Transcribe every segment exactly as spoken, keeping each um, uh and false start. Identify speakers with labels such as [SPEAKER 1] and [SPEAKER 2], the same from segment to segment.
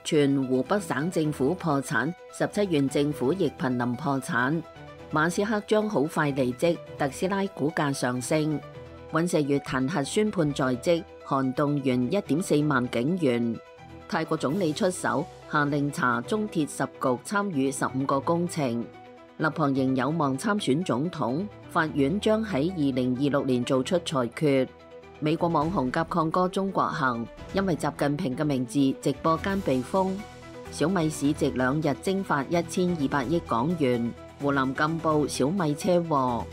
[SPEAKER 1] 全湖北省政府破產，十七縣政府亦瀕臨破產。馬斯克將好快離職，特斯拉股價上升。尹錫悅彈劾宣判在職，韓動員一點四萬警員。泰國總理出手，下令查中鐵十局參與十五個工程。立旁仍有望參選總統，法院將喺二零二六年做出裁決。美國網紅甲亢哥中國行，因為習近平嘅名字直播間被封。小米市值兩日蒸發一千二百億港元。湖南贛報小米車禍。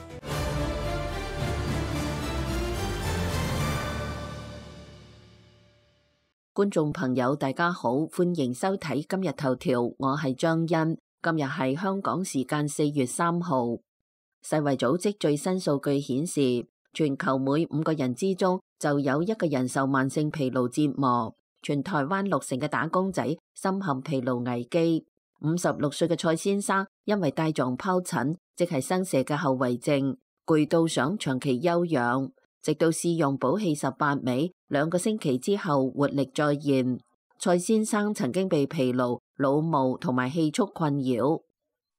[SPEAKER 1] 觀眾朋友大家好，歡迎收睇今日頭條，我係張欣。今日係香港時間四月三號。世衛組織最新數據顯示，全球每五個人之中就有一個人受慢性疲勞折磨。全台灣六成嘅打工仔深陷疲勞危機。五十六歲嘅蔡先生因為帶狀疱疹，即係生蛇嘅後遺症，攰到想長期休養，直到試用補氣十八味，兩個星期之後活力再現。蔡先生曾經被疲勞、腦霧同埋氣促困擾。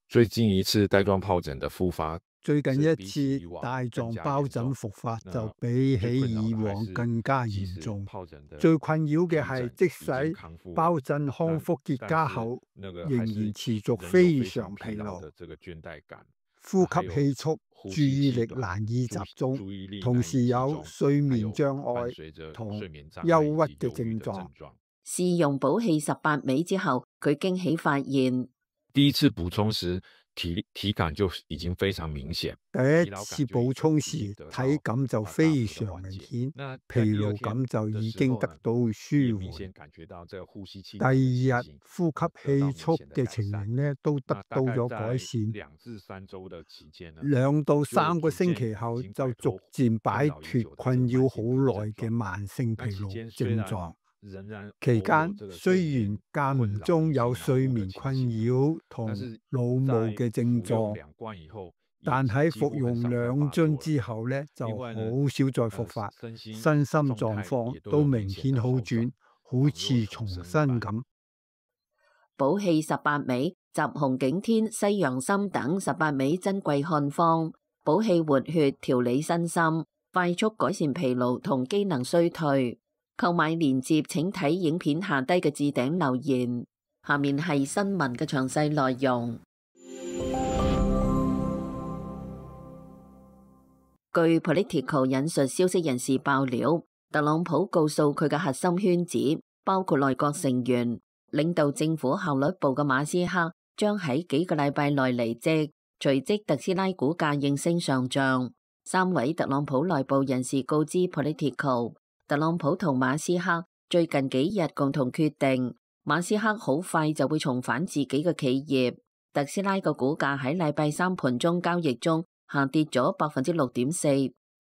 [SPEAKER 2] 最近一次帶狀疱疹嘅復發，
[SPEAKER 3] 最近一次帶狀疱疹復發就比起以往更加嚴重。最困擾嘅係，即使疱疹康復結痂後，仍然持續非常疲勞、呼吸氣促、注意力難以集中，同時有睡眠障礙同憂鬱嘅症狀。
[SPEAKER 1] 試用補氣十八味之後，佢驚喜發現，
[SPEAKER 2] 第一次補充時體體感就已經非常明顯。
[SPEAKER 3] 第一次補充時體感就非常明顯，疲勞感就已經得到舒緩。第二日呼吸氣促嘅情形呢都得到咗改善。兩到三個星期後就逐漸擺脫困擾好耐嘅慢性疲勞症狀。期間雖然間唔中有睡眠困擾同腦霧嘅症狀，但喺服用兩樽之後呢，就好少再復發，身心狀況都明顯好轉，好似重新咁。
[SPEAKER 1] 補氣十八味集紅景天、西洋參等十八味珍貴漢方，補氣活血、調理身心，快速改善疲勞同機能衰退。購買鏈接請睇影片下低嘅置頂留言。下面係新聞嘅詳細內容。據 Politico 引述消息人士爆料，特朗普告訴佢嘅核心圈子，包括內閣成員、領導政府效率部嘅馬斯克，將喺幾個禮拜內離職。隨即特斯拉股價應聲上漲。三位特朗普內部人士告知 Politico，特朗普同馬斯克最近幾日共同決定，馬斯克好快就會重返自己嘅企業。特斯拉嘅股價喺禮拜三盤中交易中下跌咗百分之六點四，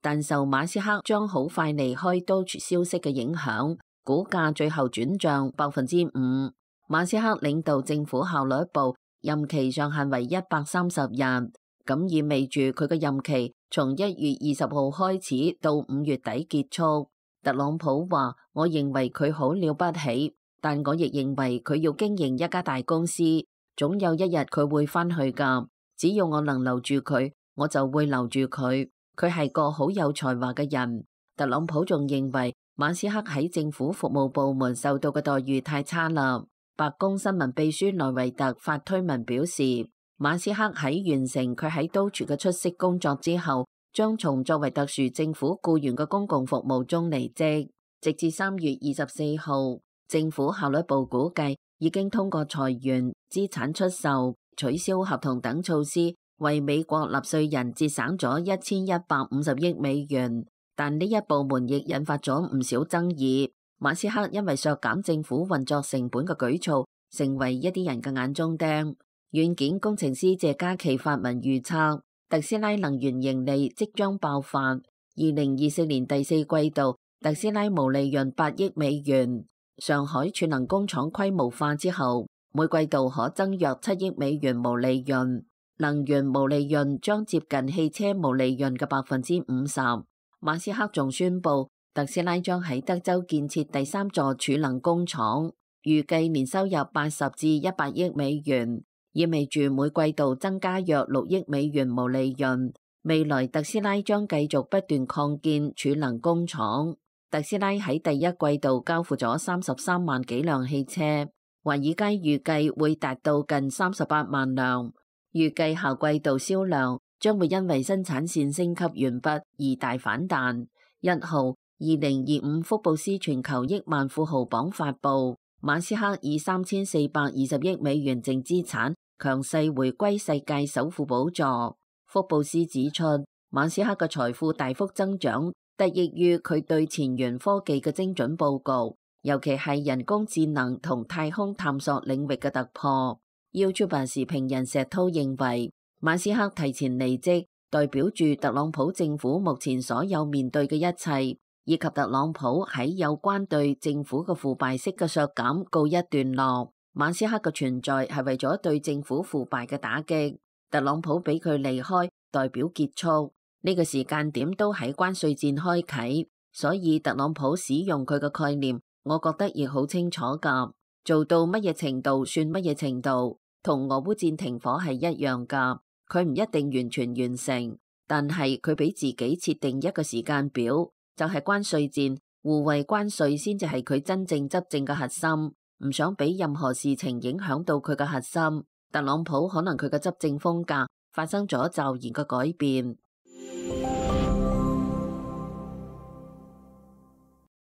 [SPEAKER 1] 但受馬斯克將好快離開 Doge 消息嘅影響，股價最後轉漲百分之五。馬斯克領導政府效率部任期上限為一百三十日，咁意味住佢嘅任期從一月二十號開始到五月底結束。特朗普話：我認為佢好了不起，但我亦認為佢要經營一家大公司，總有一日佢會返去㗎。只要我能留住佢，我就會留住佢。佢係個好有才華嘅人。特朗普仲認為馬斯克喺政府服務部門受到嘅待遇太差啦。白宮新聞秘書內維特發推文表示，馬斯克喺完成佢喺 Doge 嘅出色工作之後，將從作為特殊政府僱員嘅公共服務中離職。直至三月二十四號，政府效率部估計已經通過裁員、資產出售、取消合同等措施，為美國納稅人節省咗一千一百五十億美元。但呢一部門亦引發咗唔少爭議。馬斯克因為削減政府運作成本嘅舉措，成為一啲人嘅眼中釘。軟件工程師謝嘉琪發文預測，特斯拉能源盈利即將爆發。二零二四年第四季度，特斯拉毛利潤八億美元。上海儲能工廠規模化之後，每季度可增約七億美元毛利潤。能源毛利潤將接近汽車毛利潤嘅百分之五十。馬斯克仲宣布，特斯拉將喺德州建設第三座儲能工廠。預計年收入八十至一百億美元，意味住每季度增加約六億美元毛利潤。未來特斯拉將繼續不斷擴建儲能工廠。特斯拉喺第一季度交付咗三十三萬幾輛汽車，華爾街預計會達到近三十八萬輛。預計下季度銷量將會因為生產線升級完畢而大反彈。一號，二零二五福布斯全球億萬富豪榜發佈，馬斯克以三千四百二十億美元淨資產強勢回歸世界首富寶座。福布斯指出，馬斯克嘅財富大幅增長得益於佢對前沿科技嘅精準佈局，尤其係人工智能同太空探索領域嘅突破。YouTube 時評人石濤認為，馬斯克提前離職代表住特朗普政府目前所有面對嘅一切，以及特朗普喺有關對政府嘅腐敗式嘅削減告一段落。馬斯克嘅存在係為咗對政府腐敗嘅打擊。特朗普俾佢離開代表結束，呢個時間點都喺關稅戰開啟，所以特朗普使用佢嘅概念，我覺得亦好清楚㗎，做到乜嘢程度算乜嘢程度，同俄烏戰停火係一樣㗎。佢唔一定完全完成，但係佢俾自己設定一個時間表，就係關稅戰，互惠關稅先至係佢真正執政嘅核心，唔想俾任何事情影響到佢嘅核心。特朗普可能佢嘅執政風格發生咗驟然嘅改變。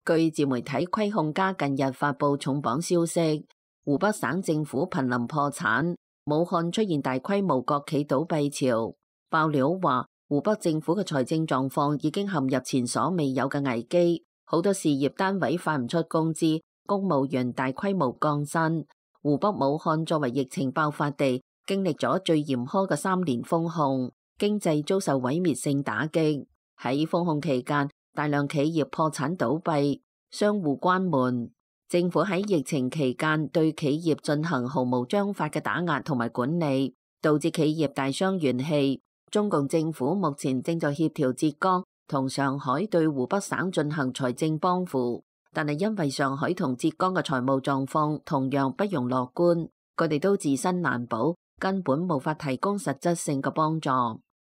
[SPEAKER 1] 據自媒體虧控家近日發布重磅消息，湖北省政府瀕臨破產，武漢出現大規模國企倒閉潮。爆料話，湖北政府嘅財政狀況已經陷入前所未有嘅危機，好多事業單位發唔出工資，公務員大規模降薪。湖北武漢作為疫情爆發地，經歷咗最嚴苛嘅三年封控，經濟遭受毀滅性打擊。喺封控期間，大量企業破產倒閉，商戶關門。政府喺疫情期間對企業進行毫無章法嘅打壓同埋管理，導致企業大傷元氣。中共政府目前正在協調浙江同上海對湖北省進行財政幫扶。但係因為上海同浙江嘅財務狀況同樣不容樂觀，佢哋都自身難保，根本無法提供實質性嘅幫助。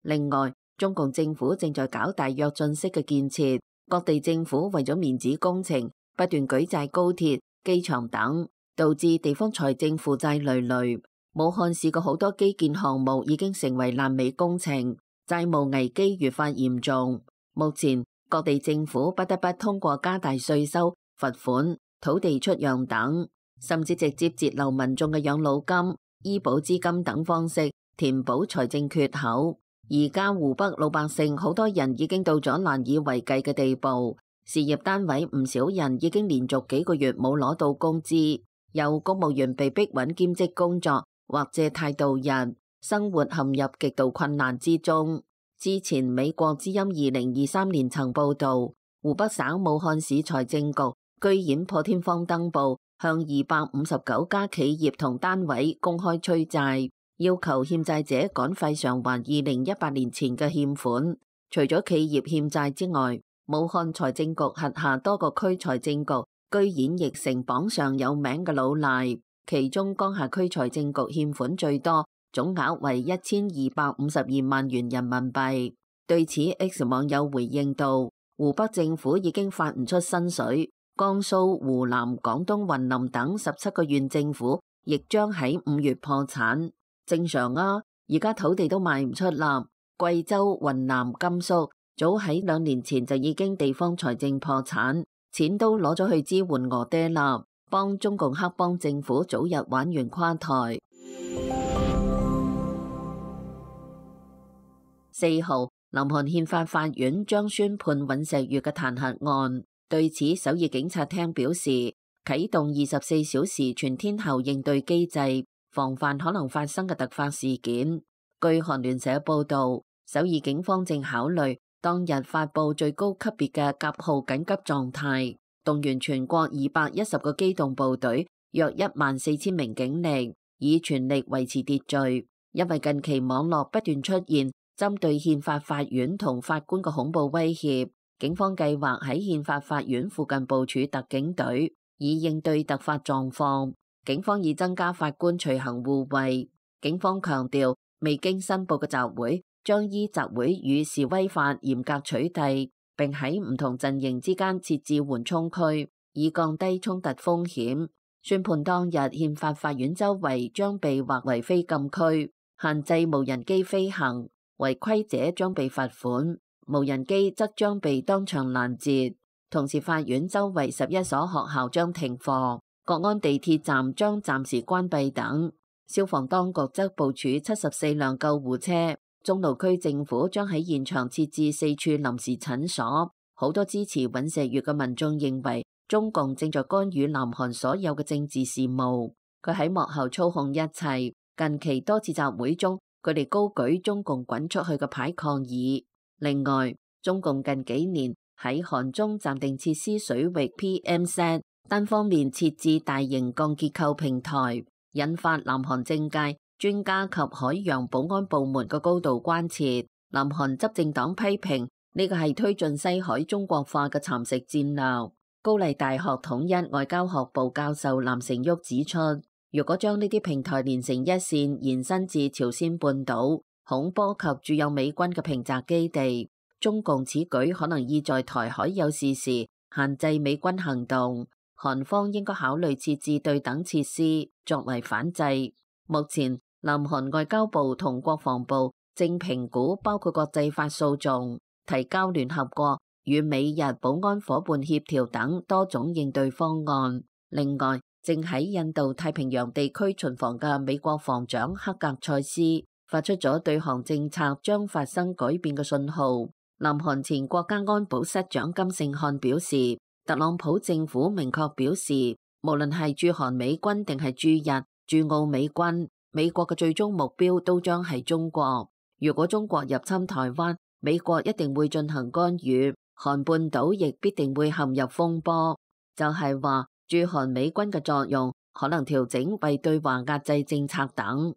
[SPEAKER 1] 另外，中共政府正在搞大躍進式嘅建設，各地政府為咗面子工程不斷舉債高鐵、機場等，導致地方財政負債累累。武漢市嘅好多基建項目已經成為爛尾工程，債務危機越發嚴重。目前各地政府不得不通過加大稅收、罰款、土地出讓等，甚至直接截留民眾嘅養老金、醫保資金等方式，填補財政缺口。而家湖北老百姓好多人已經到咗難以為繼嘅地步，事業單位唔少人已經連續幾個月冇攞到工資，有公務員被逼揾兼職工作或借貸度日，生活陷入極度困難之中。之前美國之音二零二三年曾報道，湖北省武漢市財政局居然破天荒登報，向二百五十九家企業同單位公開催債，要求欠債者趕快償還二零一八年前嘅欠款。除咗企業欠債之外，武漢財政局轄下多個區財政局居然亦成榜上有名嘅老賴，其中江夏區財政局欠款最多，總額為一千二百五十二萬元人民幣。對此 X 網友回應道，湖北政府已經發唔出薪水，江蘇、湖南、廣東、雲林等十七個縣政府亦將喺五月破產。正常啊，而家土地都賣唔出啦。貴州、雲南、甘肅早喺兩年前就已經地方財政破產，錢都攞咗去支援俄爹啦，幫中共黑幫政府早日玩完垮台。四號，南韓憲法法院將宣判尹錫悅嘅彈劾案。對此，首爾警察廳表示，啟動二十四小時全天候應對機制，防範可能發生嘅突發事件。據韓聯社報道，首爾警方正考慮當日發布最高級別嘅甲號緊急狀態，動員全國二百一十個機動部隊，約一萬四千名警力，以全力維持秩序。因為近期網絡不斷出現針對憲法法院同法官嘅恐怖威脅，警方計劃喺憲法法院附近部署特警隊，以應對突發狀況。警方已增加法官隨行護衛。警方強調，未經申報嘅集會將依集會與示威法嚴格取締，並喺唔同陣營之間設置緩衝區，以降低衝突風險。宣判當日，憲法法院周圍將被劃為非禁區，限制無人機飛行，違規者將被罰款，無人機則將被當場攔截。同時，法院周圍十一所學校將停課，各安地鐵站將暫時關閉等。消防當局則部署七十四輛救護車，中路區政府將喺現場設置四處臨時診所。好多支持尹錫悅嘅民眾認為，中共正在干預南韓所有嘅政治事務，佢喺幕後操控一切。近期多次集會中，佢哋高舉中共滾出去嘅牌抗議。另外，中共近幾年喺韓中暫定設施水域 P M Z 單方面設置大型鋼結構平台，引發南韓政界、專家及海洋保安部門嘅高度關切。南韓執政黨批評呢個係推進西海中國化嘅蠶食戰略。高麗大學統一外交學部教授藍成旭指出，如果將呢啲平台連成一線延伸至朝鮮半島，恐波及駐有美軍嘅平澤基地，中共此舉可能意在台海有事時限制美軍行動。韓方應該考慮設置對等設施作為反制。目前，南韓外交部同國防部正評估包括國際法訴訟、提交聯合國與美日保安夥伴協調等多種應對方案。另外，正喺印度太平洋地區巡防嘅美國防長克格塞斯發出咗對韓政策將發生改變嘅信號。南韓前國家安保室長金聖漢表示，特朗普政府明確表示，無論係駐韓美軍定係駐日、駐澳美軍，美國嘅最終目標都將係中國。如果中國入侵台灣，美國一定會進行干預，韓半島亦必定會陷入風波。就係話，駐韓美軍嘅作用可能調整為對華壓制政策等。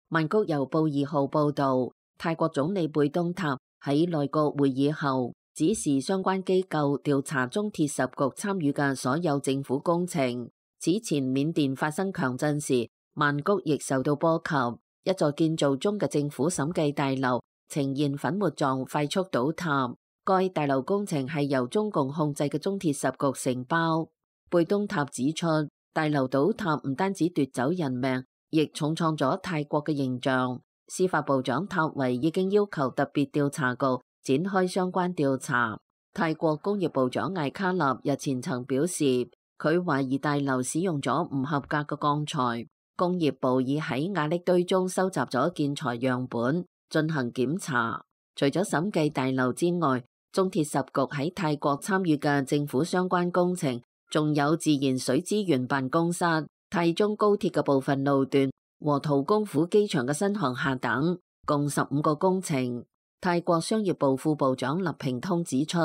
[SPEAKER 1] 曼谷郵報二號報道，泰國總理貝東塔喺內閣會議後指示相關機構調查中鐵十局參與嘅所有政府工程。此前緬甸發生強震時，曼谷亦受到波及，一座建造中嘅政府審計大樓呈現粉末狀快速倒塌。該大樓工程係由中共控制嘅中鐵十局承包。貝東塔指出，大樓倒塌唔單止奪走人命，亦重創咗泰國嘅形象。司法部長塔維已經要求特別調查局展開相關調查。泰國工業部長艾卡納日前曾表示，佢懷疑大樓使用咗唔合格嘅鋼材。工業部已喺瓦礫堆中收集咗建材樣本進行檢查。除咗審計大樓之外，中鐵十局喺泰國參與嘅政府相關工程，仲有自然水資源辦公室、泰中高鐵嘅部分路段和陶公府機場嘅新航廈等，共十五個工程。泰國商業部副部長立平通指出，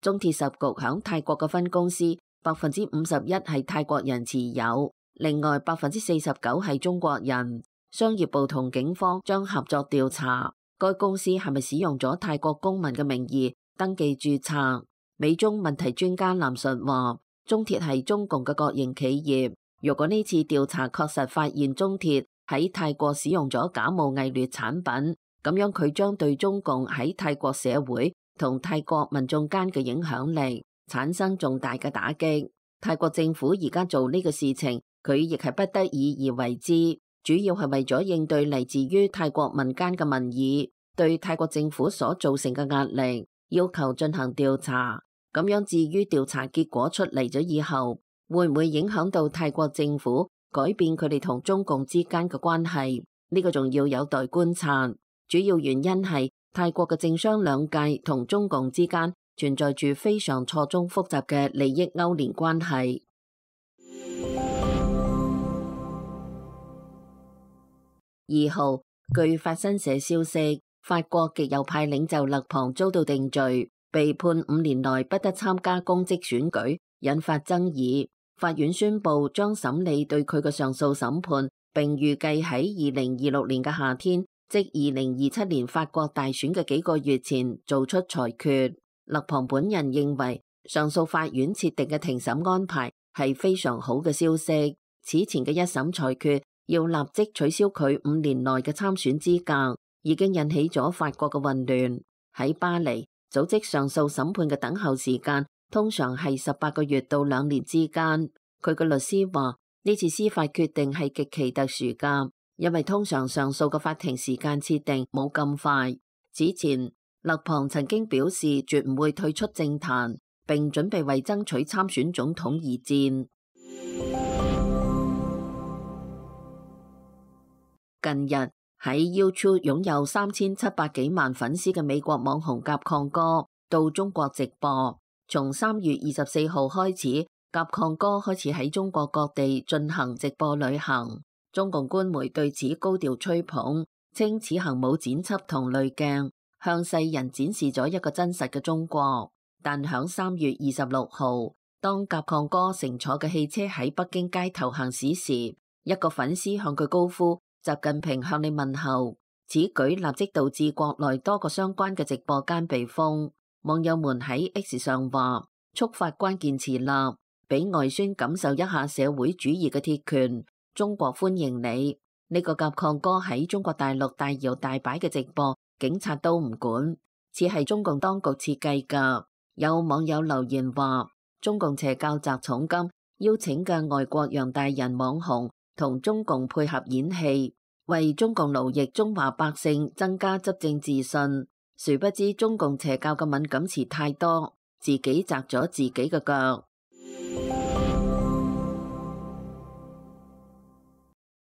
[SPEAKER 1] 中鐵十局響泰國嘅分公司百分之五十一係泰國人持有，另外百分之四十九係中國人。商業部同警方將合作調查該公司係咪使用咗泰國公民嘅名義登記註冊。美中問題專家藍述話，中鐵係中共嘅國營企業，如果呢次調查確實發現中鐵喺泰國使用咗假冒偽劣產品，咁樣佢將對中共喺泰國社會同泰國民眾間嘅影響力產生重大嘅打擊。泰國政府而家做呢個事情，佢亦係不得已而為之，主要係為咗應對嚟自於泰國民間嘅民意對泰國政府所造成嘅壓力，要求進行調查。咁樣至於調查結果出嚟咗以後，會唔會影響到泰國政府改變佢哋同中共之間嘅關係？呢個仲要有待觀察。主要原因係泰國嘅政商兩界同中共之間存在住非常錯綜複雜嘅利益勾連關係。二號，據法新社消息，法國極右派領袖勒龐遭到定罪，被判五年內不得參加公職選舉，引發爭議。法院宣布將審理對佢嘅上訴審判，並預計喺二零二六年嘅夏天，即二零二七年法國大選嘅幾個月前做出裁決。勒龐本人認為上訴法院設定嘅庭審安排係非常好嘅消息。此前嘅一審裁決要立即取消佢五年內嘅參選資格，已經引起咗法國嘅混亂。喺巴黎，組織上訴審判嘅等候時間通常係十八個月到兩年之間。佢嘅律師話，呢次司法決定係極其特殊㗎，因為通常上訴嘅法庭時間設定冇咁快。此前，勒龐曾經表示絕唔會退出政壇，並準備為爭取參選總統而戰。近日喺 YouTube 擁有三千七百幾萬粉絲嘅美國網紅甲亢哥到中國直播。從三月二十四號開始，甲亢哥開始喺中國各地進行直播旅行。中共官媒對此高調吹捧，稱此行冇剪輯同濾鏡，向世人展示咗一個真實嘅中國。但響三月二十六號，當甲亢哥乘坐嘅汽車喺北京街頭行駛時，一個粉絲向佢高呼習近平向你問候，此舉立即導致國內多個相關嘅直播間被封。網友們喺 X 上話，觸發關鍵詞啦，俾外宣感受一下社會主義嘅鐵拳，中國歡迎你。呢、這個甲亢哥喺中國大陸大搖大擺嘅直播，警察都唔管，似係中共當局設計噶。有網友留言話，中共邪教砸重金邀請嘅外國洋大人網紅同中共配合演戲，為中共奴役中華百姓增加執政自信。殊不知中共邪教嘅敏感詞太多，自己砸咗自己嘅腳。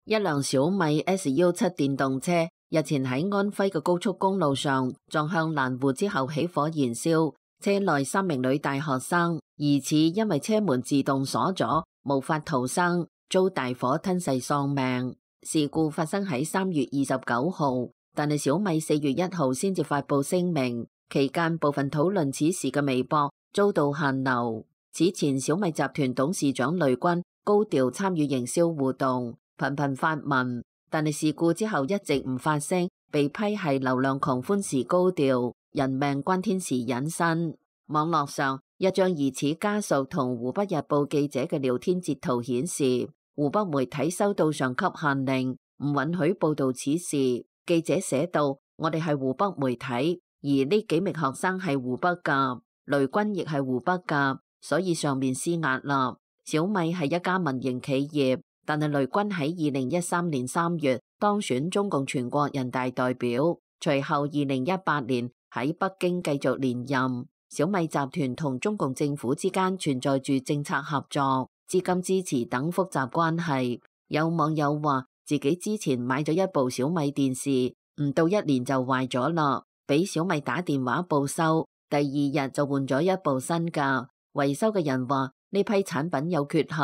[SPEAKER 1] 一輛小米 S 幺七電動車日前喺安徽嘅高速公路上撞向欄戶之後起火燃燒，車內三名女大學生疑似因為車門自動鎖咗，無法逃生，遭大火吞噬喪命。事故發生喺三月二十九號，但係小米四月一號先至發佈聲明，期間部分討論此事嘅微博遭到限流。此前小米集團董事長雷軍高調參與營銷活動，頻頻發文，但係事故之後一直唔發聲，被批係流量狂歡時高調，人命關天時隱身。網絡上一張疑似家屬同湖北日報記者嘅聊天截圖顯示，湖北媒體收到上級限令，唔允許報道此事。記者寫道：我哋係湖北媒體，而呢幾名學生係湖北噶，雷軍亦係湖北噶，所以上面施壓啦。小米係一家民營企業，但係雷軍喺二零一三年三月當選中共全國人大代表，隨後二零一八年喺北京繼續連任。小米集團同中共政府之間存在住政策合作、資金支持等複雜關係。有網友話，自己之前買咗一部小米電視，唔到一年就壞咗啦，俾小米打電話報修，第二日就換咗一部新噶。維修嘅人話呢批產品有缺陷，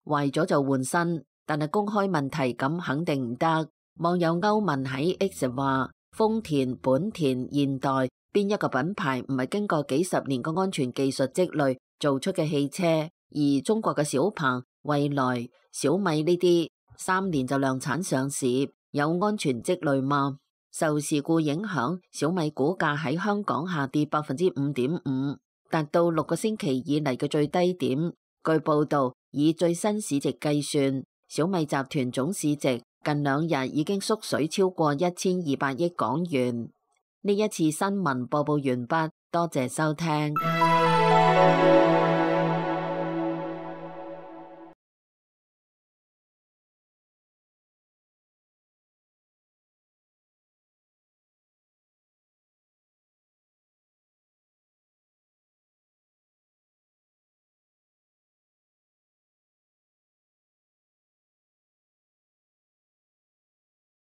[SPEAKER 1] 壞咗就換新，但係公開問題咁肯定唔得。網友歐文喺 X 話，豐田、本田、現代邊一個品牌唔係經過幾十年嘅安全技術積累做出嘅汽車？而中國嘅小鵬、蔚來、小米呢啲三年就量產上市，有安全積累嗎？受事故影響，小米股價喺香港下跌百分之五點五，達到六個星期以嚟嘅最低點。據報道，以最新市值計算，小米集團總市值近兩日已經縮水超過一千二百億港元。呢一次新聞播報完畢，多謝收聽。